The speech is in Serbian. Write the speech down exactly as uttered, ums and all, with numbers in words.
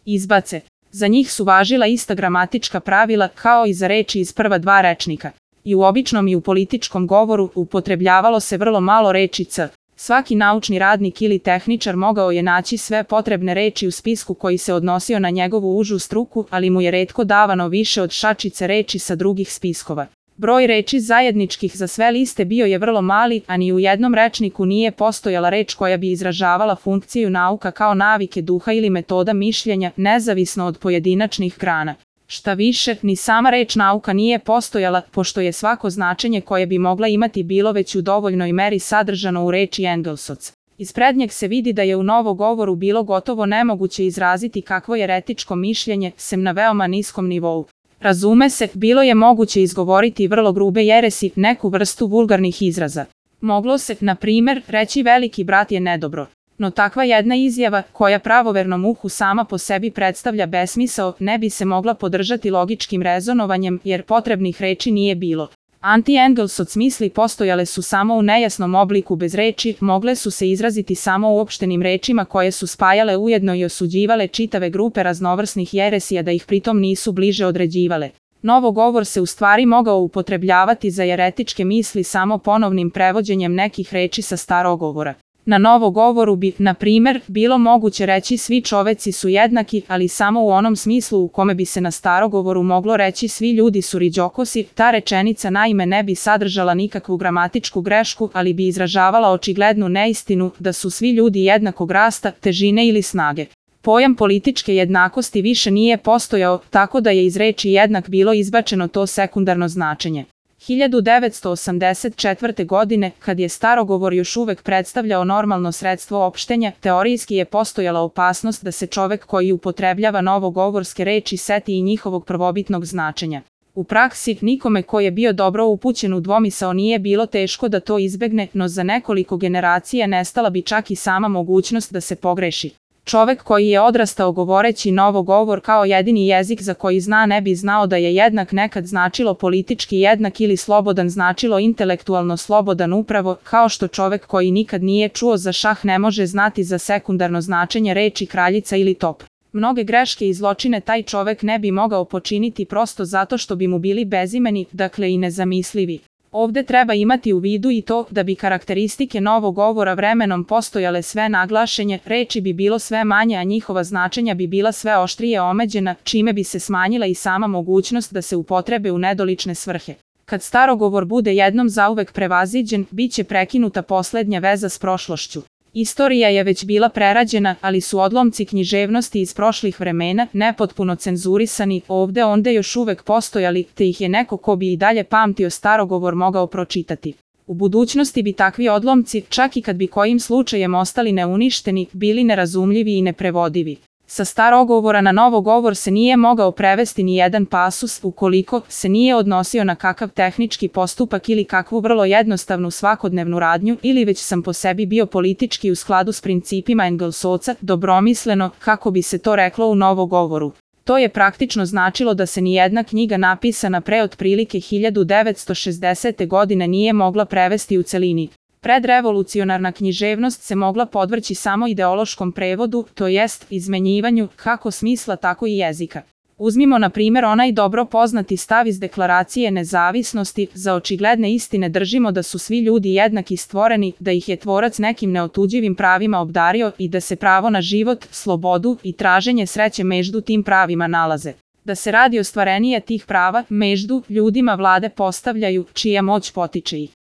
izbace. Za njih su važila ista gramatička pravila kao i za reči iz prva dva rečnika. I u običnom i u političkom govoru upotrebljavalo se vrlo malo reči c. Svaki naučni radnik ili tehničar mogao je naći sve potrebne reči u spisku koji se odnosio na njegovu užu struku, ali mu je retko davano više od šačice reči sa drugih spiskova. Broj reči zajedničkih za sve liste bio je vrlo mali, a ni u jednom rečniku nije postojala reč koja bi izražavala funkciju nauka kao navike duha ili metoda mišljenja, nezavisno od pojedinačnih grana. Šta više, ni sama reč nauka nije postojala, pošto je svako značenje koje bi mogla imati bilo već u dovoljnoj meri sadržano u reči Engelsoc. Iz prednjeg se vidi da je u novogovoru bilo gotovo nemoguće izraziti kakvo je etičko mišljenje, sem na veoma niskom nivou. Razume se, bilo je moguće izgovoriti vrlo grube jeresi, neku vrstu vulgarnih izraza. Moglo se, na primjer, reći veliki brat je nedobro. No takva jedna izjava, koja pravovernom uhu sama po sebi predstavlja besmisao, ne bi se mogla podržati logičkim rezonovanjem, jer potrebnih reči nije bilo. Anti-Engelsoc misli postojale su samo u nejasnom obliku bez reči, mogle su se izraziti samo uopštenim rečima koje su spajale ujedno i osuđivale čitave grupe raznovrsnih jeresija da ih pritom nisu bliže određivale. Novogovor se u stvari mogao upotrebljavati za jeretičke misli samo ponovnim prevođenjem nekih reči sa starogovora. Na novogovoru bi, na primjer, bilo moguće reći svi čoveci su jednaki, ali samo u onom smislu u kome bi se na starogovoru moglo reći svi ljudi su riđokosi. Ta rečenica naime ne bi sadržala nikakvu gramatičku grešku, ali bi izražavala očiglednu neistinu da su svi ljudi jednakog rasta, težine ili snage. Pojam političke jednakosti više nije postojao, tako da je iz reči jednak bilo izbačeno to sekundarno značenje. hiljadu devetsto osamdeset četvrte. godine, kad je starogovor još uvek predstavljao normalno sredstvo opštenja, teorijski je postojala opasnost da se čovek koji upotrebljava novogovorske reči seti i njihovog prvobitnog značenja. U praksi, nikome ko je bio dobro upućen u dvomisao nije bilo teško da to izbegne, no za nekoliko generacija nestala bi čak i sama mogućnost da se pogreši. Čovek koji je odrastao govoreći novogovor kao jedini jezik za koji zna ne bi znao da je jednak nekad značilo politički jednak ili slobodan značilo intelektualno slobodan upravo, kao što čovek koji nikad nije čuo za šah ne može znati za sekundarno značenje reči kraljica ili top. Mnoge greške i zločine taj čovek ne bi mogao počiniti prosto zato što bi mu bili bezimeni, dakle i nezamislivi. Ovde treba imati u vidu i to da bi karakteristike novogovora vremenom postojale sve naglašenje, reči bi bilo sve manje, a njihova značenja bi bila sve oštrije omeđena, čime bi se smanjila i sama mogućnost da se upotrebe u nedolične svrhe. Kad starogovor bude jednom zauvek prevaziđen, bit će prekinuta poslednja veza s prošlošću. Istorija je već bila prerađena, ali su odlomci književnosti iz prošlih vremena, nepotpuno cenzurisani, ovde onde još uvek postojali, te ih je neko ko bi i dalje pamtio starogovor mogao pročitati. U budućnosti bi takvi odlomci, čak i kad bi kojim slučajem ostali neuništeni, bili nerazumljivi i neprevodivi. Sa starogovora na novogovor se nije mogao prevesti ni jedan pasus ukoliko se nije odnosio na kakav tehnički postupak ili kakvu vrlo jednostavnu svakodnevnu radnju ili već sam po sebi bio politički u skladu s principima Engelsoca, dobromisleno, kako bi se to reklo u novogovoru. To je praktično značilo da se ni jedna knjiga napisana pre otprilike hiljadu devetsto šezdesete. godine nije mogla prevesti u celini. Predrevolucionarna književnost se mogla podvrći samo ideološkom prevodu, to jest izmenjivanju kako smisla tako i jezika. Uzmimo na primjer onaj dobro poznati stav iz Deklaracije nezavisnosti, za očigledne istine držimo da su svi ljudi jednaki stvoreni, da ih je tvorac nekim neotuđivim pravima obdario i da se pravo na život, slobodu i traženje sreće među tim pravima nalaze. Da se radi ostvarenije tih prava, među ljudima vlade postavljaju, čija moć potiče ih.